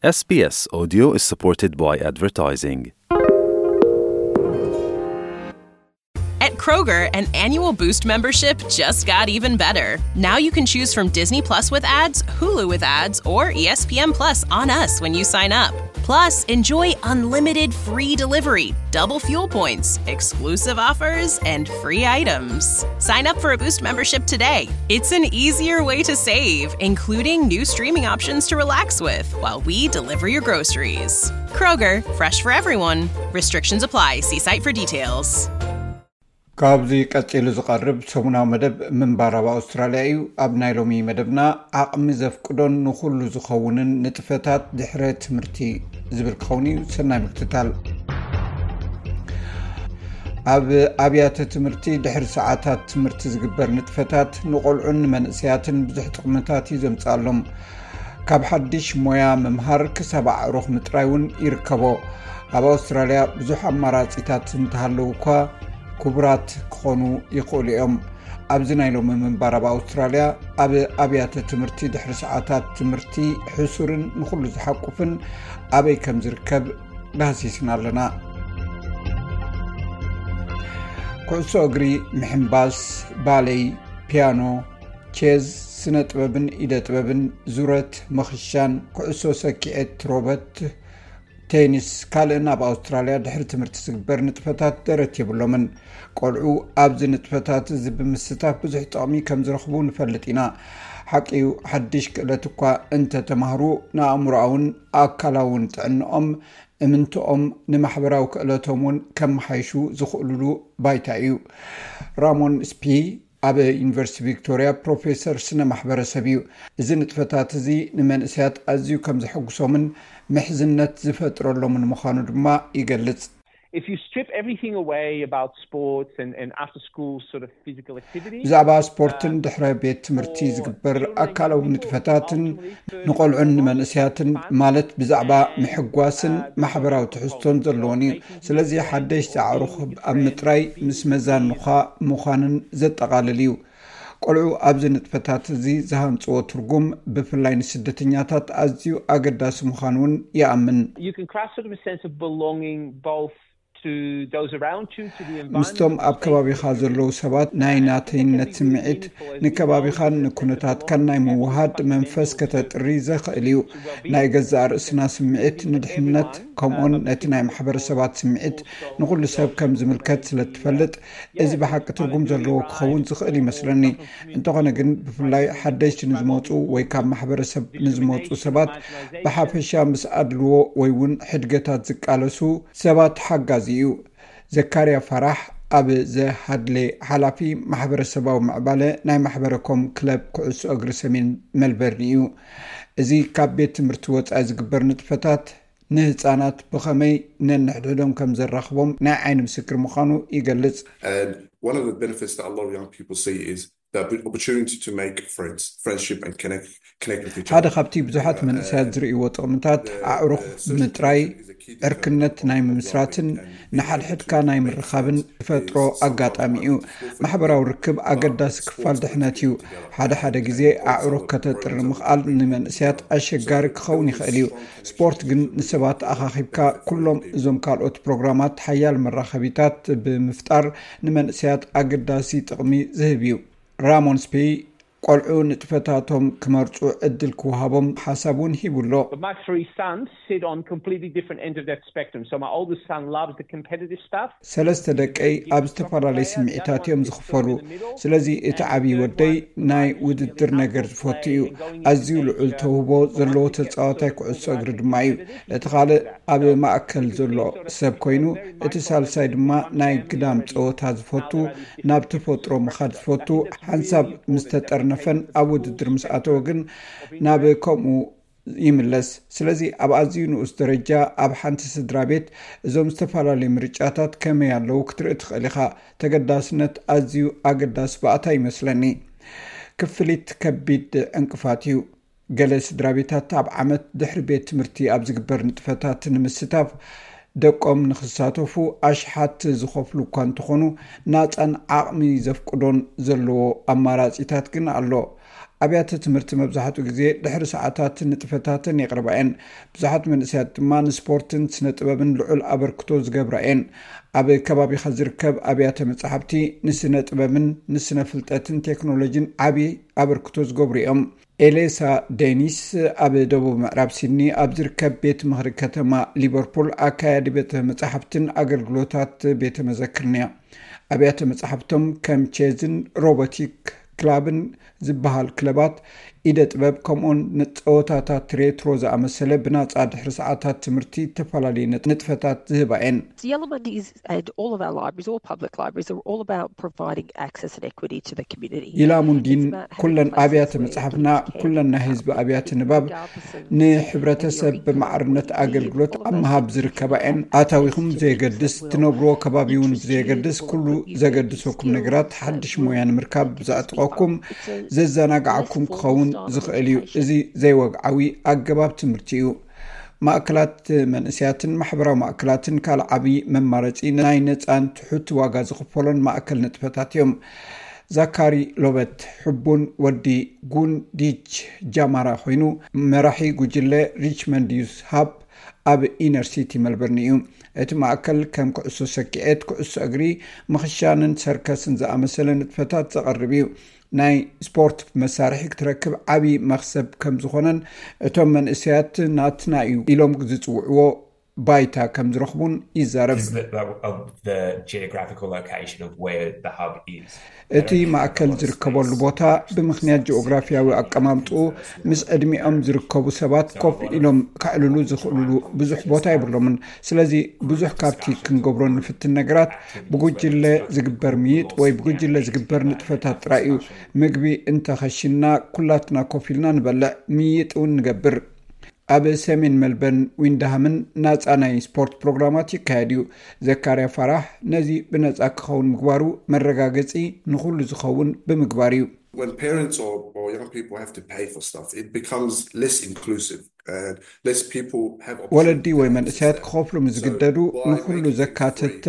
S B S Audio is supported by advertising. At Kroger, an annual Boost membership just got even better. Now you can choose from Disney Plus with ads, Hulu with ads, or E S P N Plus on us when you sign up. Plus, enjoy unlimited free delivery, double fuel points, exclusive offers, and free items. Sign up for a Boost membership today. It's an easier way to save, including new streaming options to relax with while we deliver your groceries. Kroger, fresh for everyone. Restrictions apply. See site for details. ካብዚ ቀጺሉ ዝቐርብ ሰሙናዊ መደብ ምንባር ኣብ ኣውስትራልያ እዩ። ኣብ ናይ ሎሚ መደብና ዓቕሚ ዘፍቅዶን ንኹሉ ዝኸውንን ንጥፈታት ድሕረ ትምህርቲ ዝብል ክኸውን እዩ። ሰናይ ምክትታል። ኣብ ኣብያተ ትምህርቲ ድሕሪ ሰዓታት ትምህርቲ ዝግበር ንጥፈታት ንቆልዑን ንመንእሰያትን ብዙሕ ጥቕምታት እዩ ዘምጽኣሎም። ካብ ሓድሽ ሞያ ምምሃር ክሳብ ኣዕሩኽ ምጥራይ እውን ይርከቦ። ኣብ ኣውስትራልያ ብዙሕ ኣማራጺታት እንተሃለዉ እኳ ክቡራት ክኾኑ ይኽእሉ እዮም። ኣብዚ ናይ ሎሚ ምንባር ኣብ ኣውስትራልያ ኣብ ኣብያተ ትምህርቲ ድሕሪ ሰዓታት ትምህርቲ ሕሱርን ንኹሉ ዝሓቁፍን ኣበይ ከም ዝርከብ ዳህሲስና ኣለና። ኩዕሶ እግሪ፣ ምሕንባስ፣ ባሌይ፣ ፒያኖ፣ ቼዝ፣ ስነ ጥበብን ኢደ ጥበብን፣ ዙረት፣ መኽሻን፣ ኩዕሶ ሰኪዔት፣ ሮበት፣ ቴኒስ፣ ካልእን ኣብ ኣውስትራልያ ድሕሪ ትምህርቲ ዝግበር ንጥፈታት ደረት የብሎምን። ቆልዑ ኣብዚ ንጥፈታት እዚ ብምስታፍ ብዙሕ ጥቕሚ ከም ዝረኽቡ ንፈልጥ ኢና። ሓቂ እዩ፣ ሓድሽ ክእለት እኳ እንተተማህሩ ንኣእምሮኣውን ኣካላውን ጥዕንኦም፣ እምንትኦም፣ ንማሕበራዊ ክእለቶም እውን ከመሓይሹ ዝኽእሉሉ ባይታ እዩ። ራሞን ስፒ ኣብ ዩኒቨርሲቲ ቪክቶርያ ፕሮፌሰር ስነ ማሕበረሰብ እዩ። እዚ ንጥፈታት እዚ ንመንእሰያት ኣዝዩ ከም ዘሐጉሶምን ምሕዝነት ዝፈጥረሎምን ምዃኑ ድማ ይገልጽ። If you strip everything away about sports and, and after school sort of physical activity, ብዛዕባ ስፖርትን ድሕረ ቤት ትምህርቲ ዝግበር ኣካላዊ ንጥፈታትን ንቆልዑን ንመንእሰያትን ማለት ብዛዕባ ምሕጓስን ማሕበራዊ ትሕዝቶን ዘለዎን እዩ። ስለዚ ሓደሽቲ ኣዕሩኽ ኣብ ምጥራይ ምስ መዛንኻ ምዃንን ዘጠቓልል እዩ። ቆልዑ ኣብዚ ንጥፈታት እዚ ዝሃንጽዎ ትርጉም ብፍላይ ንስደተኛታት ኣዝዩ ኣገዳሲ ምዃኑ እውን ይኣምን። you can craft sort of a sense of belonging both to those around you, to the environment. ምስቶም ኣብ ከባቢኻ ዘለዉ ሰባት ናይ ናተይነት ስምዒት፣ ንከባቢኻን ንኩነታትካን ናይ ምውሃድ መንፈስ ከተጥሪ ዘኽእል እዩ። ናይ ገዛእ ርእስና ስምዒት ንድሕነት፣ ከምኡን ነቲ ናይ ማሕበረሰባት ስምዒት ንኹሉ ሰብ ከም ዝምልከት ስለ እትፈልጥ፣ እዚ ብሓቂ ትርጉም ዘለዎ ክኸውን ዝኽእል ይመስለኒ። እንተኾነ ግን፣ ብፍላይ ሓደሽቲ ንዝመጹ ወይ ካብ ማሕበረሰብ ንዝመጹ ሰባት ብሓፈሻ ምስ ኣድልዎ ወይ እውን ሕድገታት ዝቃለሱ ሰባት ሓጋዚ እዩ። ዘካርያ ፋራሕ ኣብ ዘሃድሌ ሓላፊ ማሕበረሰባዊ ምዕባለ ናይ ማሕበረኮም ክለብ ኩዕሶ እግሪ ሰሜን መልበርን እዩ። እዚ ካብ ቤት ትምህርቲ ወጻኢ ዝግበር ንጥፈታት ንህጻናት ብኸመይ ነንሕድሕዶም ከም ዘራኽቦም ናይ ዓይኒ ምስክር ምዃኑ ይገልጽ። And one of the benefits that a lot of young people see is the opportunity to make friends, friendship and connect, connect with each ሓደ other. ካብቲ ብዙሓት መንእሰያት ዝርእይዎ ጥቕምታት ኣዕሩኽ ምጥራይ ዕርክነት ናይ ምምስራትን ንሓድሕድካ ናይ ምርኻብን ዝፈጥሮ ኣጋጣሚ እዩ። ማሕበራዊ ርክብ ኣገዳሲ ክፋል ድሕነት እዩ። ሓደ ሓደ ግዜ ኣዕሩኽ ከተጥሪ ምኽኣል ንመንእሰያት ኣሸጋሪ ክኸውን ይኽእል እዩ። ስፖርት ግን ንሰባት ኣኻኺብካ፣ ኩሎም እዞም ካልኦት ፕሮግራማት ሓያል መራኸቢታት ብምፍጣር ንመንእሰያት ኣገዳሲ ጥቕሚ ዝህብ እዩ። ራሞን ስፔይ ቆልዑ ንጥፈታቶም ክመርጹ ዕድል ክወሃቦም ሓሳብ እውን ሂቡ ኣሎ። But my three sons sit on completely different ends of that spectrum. So my oldest son loves the competitive stuff. ሰለስተ ደቀይ ኣብ ዝተፈላለዩ ስምዒታት እዮም ዝኽፈሉ። ስለዚ እቲ ዓብዪ ወደይ ናይ ውድድር ነገር ዝፈቱ እዩ። ኣዝዩ ልዑል ተውህቦ ዘለዎ ተጻዋታይ ኩዕሶ እግሪ ድማ እዩ። እቲ ካልእ ኣብ ማእከል ዘሎ ሰብ ኮይኑ፣ እቲ ሳልሳይ ድማ ናይ ግዳም ጸወታ ዝፈቱ፣ ናብ ተፈጥሮ ምኻድ ዝፈቱ፣ ሓንሳብ ምስ ተጠርነፈን ኣብ ውድድር ምስ ኣተወ ግን ናብ ከምኡ ይምለስ። ስለዚ ኣብ ኣዝዩ ንኡስ ደረጃ ኣብ ሓንቲ ስድራ ቤት እዞም ዝተፈላለዩ ምርጫታት ከመይ ኣለዉ ክትርኢ ትኽእል ኢኻ። ተገዳስነት ኣዝዩ ኣገዳሲ ባእታ ይመስለኒ። ክፍሊት ከቢድ ዕንቅፋት እዩ። ገለ ስድራ ቤታት ኣብ ዓመት ድሕሪ ቤት ትምህርቲ ኣብ ዝግበር ንጥፈታት ንምስታፍ ደቆም ንኽሳተፉ ኣሽሓት ዝኸፍሉ እኳ እንተኾኑ፣ ናጻን ዓቕሚ ዘፍቅዶን ዘለዎ ኣማራጺታት ግን ኣሎ። ኣብያተ ትምህርቲ መብዛሕትኡ ግዜ ድሕሪ ሰዓታት ንጥፈታተን የቕርባ እየን። ብዙሓት መንእሰያት ድማ ንስፖርትን ስነ ጥበብን ልዑል ኣበርክቶ ዝገብራ እየን። ኣብ ከባቢኻ ዝርከብ ኣብያተ መጻሕፍቲ ንስነ ጥበብን ንስነ ፍልጠትን ቴክኖሎጂን ዓቢ ኣበርክቶ ዝገብሩ እዮም። ኤሌሳ ዴኒስ ኣብ ደቡብ ምዕራብ ሲድኒ ኣብ ዝርከብ ቤት ምኽሪ ከተማ ሊቨርፑል ኣካያዲ ቤተ መጻሕፍትን ኣገልግሎታት ቤተ መዘክርን እያ። ኣብያተ መጻሕፍቶም ከም ቼዝን ሮቦቲክ ክላብን ዝበሃል ክለባት ኢደ ጥበብ፣ ከምኡን ንጸወታታት ሬትሮ ዝኣመሰለ ብናጻ ድሕሪ ሰዓታት ትምህርቲ እተፈላለየ ንጥፈታት ዝህባ እየን። Yellowmundey's and all of our libraries, all public libraries, are all about providing access and equity to the community. ይላሙንዲን ኩለን ኣብያተ መጽሓፍና፣ ኩለን ናይ ህዝቢ ኣብያተ ንባብ ንሕብረተሰብ ብማዕርነት ኣገልግሎት ኣብ ምሃብ ዝርከባ እየን። ኣታዊኹም ብዘየገድስ፣ ትነብርዎ ከባቢ እውን ብዘየገድስ፣ ኩሉ ዘገድሰኩም ነገራት፣ ሓድሽ ሞያ ንምርካብ ዘዕጥቐኩም፣ ዘዘናግዓኩም ክኸውን ዝኽእል እዩ። እዚ ዘይወግዓዊ ኣገባብ ትምህርቲ እዩ። ማእከላት መንእሰያትን ማሕበራዊ ማእከላትን ካልእ ዓቢ መማረጺ ናይ ነጻን ትሑት ዋጋ ዝኽፈሎን ማእከል ንጥፈታት እዮም። ዛካሪ ሎበት ሕቡን ወዲ ጉንዲች ጃማራ ኮይኑ፣ መራሒ ጉጅለ ሪችመንድ ዩስ ሃብ ኣብ ኢነር ሲቲ መልበርን እዩ። እቲ ማእከል ከም ኩዕሶ ሰኪዔት፣ ኩዕሶ እግሪ፣ ምኽሻንን ሰርከስን ዝኣመሰለ ንጥፈታት ዘቕርብ እዩ። ናይ ስፖርት መሳርሒ ክትረክብ ዓቢ መኽሰብ ከም ዝኾነን፣ እቶም መንእሰያት ናትና እዩ ኢሎም ዝጽውዕዎ ባይታ ከም ዝረኽቡን ይዛረብ። Is the, the, of the geographical location of where the hub is. እቲ ማእከል ዝርከበሉ ቦታ ብምኽንያት ጂኦግራፊያዊ ኣቀማምጥኡ ምስ ዕድሚኦም ዝርከቡ ሰባት ኮፍ ኢሎም ከዕልሉ ዝኽእልሉ ብዙሕ ቦታ የብሎምን። ስለዚ ብዙሕ ካብቲ ክንገብሮ ንፍትን ነገራት ብጉጅለ ዝግበር ምይጥ ወይ ብጉጅለ ዝግበር ንጥፈታት ጥራይ እዩ። ምግቢ እንተኸሽና ኩላትና ኮፍ ኢልና ንበልዕ፣ ምይጥ እውን ንገብር። ኣብ ሰሜን መልበርን ዊንድሃምን ናጻ ናይ ስፖርት ፕሮግራማት ይካየድ እዩ። ዘካርያ ፋራሕ ነዚ ብነጻ ክኸውን ምግባሩ መረጋገጺ ንኹሉ ዝኸውን ብምግባር እዩ። When parents or, or young people have to pay for stuff, it becomes less inclusive and less people have ወለዲ ወይ መንእሰያት ክኸፍሉ ምስ ዝግደዱ ንኹሉ ዘካተተ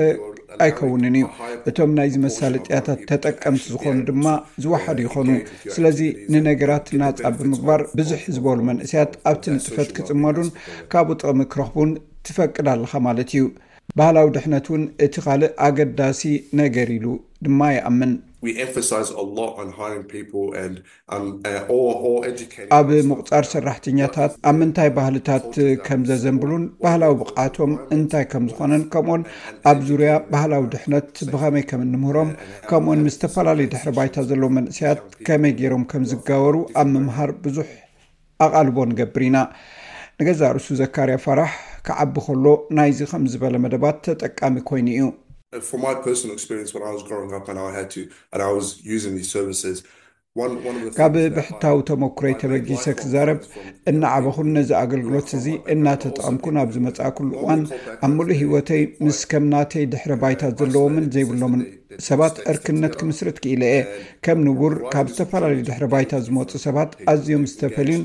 ኣይከውንን እዩ። እቶም ናይዚ መሳለጥያታት ተጠቀምቲ ዝኾኑ ድማ ዝወሓዱ ይኾኑ። ስለዚ ንነገራት ናጻ ብምግባር ብዙሕ ዝበሉ መንእሰያት ኣብቲ ንጥፈት ክጽመዱን ካብኡ ጥቕሚ ክረኽቡን ትፈቅድ ኣለኻ ማለት እዩ። ባህላዊ ድሕነት እውን እቲ ካልእ ኣገዳሲ ነገር ኢሉ ድማ ይኣምን። We emphasize a lot on hiring people and um, uh, or, or educating. ኣብ ምቑጻር ሰራሕተኛታት ኣብ ምንታይ ባህልታት ከም ዘዘንብሉን ባህላዊ ብቕዓቶም እንታይ ከም ዝኾነን ከምኡን ኣብ ዙርያ ባህላዊ ድሕነት ብኸመይ ከም እንምህሮም ከምኡን ምስ ዝተፈላለዩ ድሕሪ ባይታ ዘለዉ መንእሰያት ከመይ ገይሮም ከም ዝጋበሩ ኣብ ምምሃር ብዙሕ ኣቓልቦ ንገብር ኢና። ንገዛእ ርእሱ ዘካርያ ፋራሕ ክዓቢ ከሎ ናይዚ ከም ዝበለ መደባት ተጠቃሚ ኮይኑ እዩ። For my personal experience, when I was growing up and I had to, and I was using these services, one, one of the ካብ things that ብሕታዊ ተመኩሮይ ተበጊሰ ክዛረብ፣ እናዓበኹን ነዚ ኣገልግሎት እዚ እናተጠቐምኩን ኣብ ዝመጻእኩሉ እዋን ኣብ ምሉእ ህይወተይ ምስ ከም ናተይ ድሕረ ባይታ ዘለዎምን ዘይብሎምን ሰባት ዕርክነት ክምስርት ክኢለ እየ። ከም ንቡር ካብ ዝተፈላለዩ ድሕረ ባይታ ዝመጹ ሰባት ኣዝዮም ዝተፈልዩን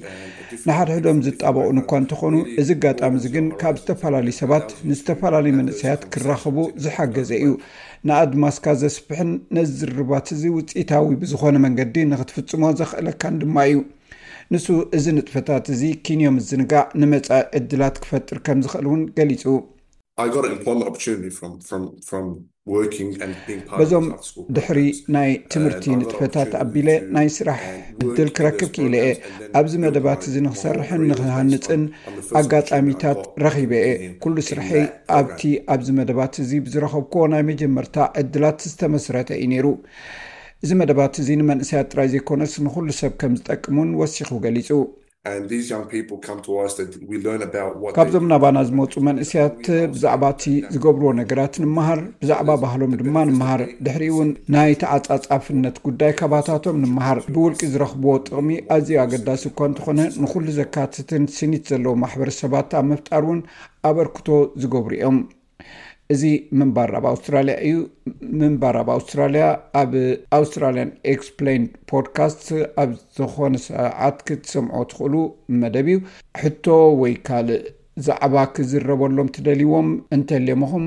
ንሓድሕዶም ዝጣበቑን እኳ እንተኾኑ፣ እዚ ኣጋጣሚ እዚ ግን ካብ ዝተፈላለዩ ሰባት ንዝተፈላለዩ መንእሰያት ክራኸቡ ዝሓገዘ እዩ። ንኣድማስካ ዘስፍሕን ነዚ ዝርርባት እዚ ውፅኢታዊ ብዝኾነ መንገዲ ንክትፍጽሞ ዘኽእለካን ድማ እዩ። ንሱ እዚ ንጥፈታት እዚ ኪንዮ ምዝንጋዕ ንመጻኢ ዕድላት ክፈጥር ከም ዝኽእል እውን ገሊጹ። I got an employment opportunity from from from working and being part of በዞም the after school ድሕሪ programs. ናይ ትምህርቲ ንጥፈታት ኣቢለ ናይ ስራሕ ዕድል ክረክብ ክኢለ እየ። ኣብዚ መደባት እዚ ንክሰርሕን ንክሃንፅን ኣጋጣሚታት ረኺበ እየ። ኩሉ ስርሐይ ኣብቲ ኣብዚ መደባት እዚ ብዝረኸብክዎ ናይ መጀመርታ ዕድላት ዝተመስረተ እዩ ነይሩ። እዚ መደባት እዚ ንመንእሰያት ጥራይ ዘይኮነስ ንኹሉ ሰብ ከም ዝጠቅም እውን ወሲኹ ገሊጹ። And these young people come to us that we learn about what they ካብዞም do. ናባና ዝመፁ መንእሰያት ብዛዕባ እቲ ዝገብርዎ ነገራት ንምሃር፣ ብዛዕባ ባህሎም ድማ ንምሃር። ድሕሪኡ እውን ናይ ተዓፃፃፍነት ጉዳይ ካባታቶም ንምሃር። ብውልቂ ዝረኽብዎ ጥቕሚ ኣዝዩ ኣገዳሲ እኳ እንተኾነ ንኹሉ ዘካትትን ስኒት ዘለዎ ማሕበረሰባት ኣብ ምፍጣር እውን ኣበርክቶ ዝገብሩ እዮም። እዚ ምንባር ኣብ ኣውስትራልያ እዩ። ምንባር ኣብ ኣውስትራልያ ኣብ ኣውስትራልያን ኤክስፕሌይንድ ፖድካስት ኣብ ዝኾነ ሰዓት ክትሰምዖ ትኽእሉ መደብ እዩ። ሕቶ ወይ ካልእ ዛዕባ ክዝረበሎም ትደልይዎም እንተልዮምኹም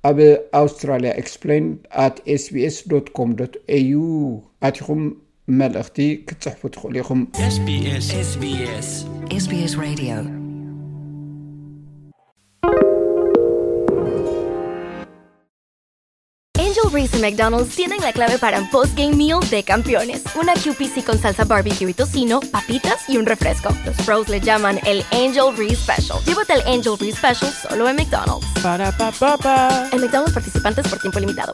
ኣብ ኣውስትራልያ ኤክስፕሌይንድ ኣት ኤስቢኤስ ዶት ኮም ዶት ኤዩ ኣቲኹም መልእኽቲ ክትጽሕፉ ትኽእሉ ኢኹም። SBS SBS SBS Radio. Angel Reese y McDonald's tienen la clave para un post-game meal de campeones. Una Q P C con salsa barbecue y tocino, papitas y un refresco. Los pros le llaman el Angel Reese Special. Llévate el Angel Reese Special solo en McDonald's. Ba-da-ba-ba-ba. En McDonald's participantes por tiempo limitado.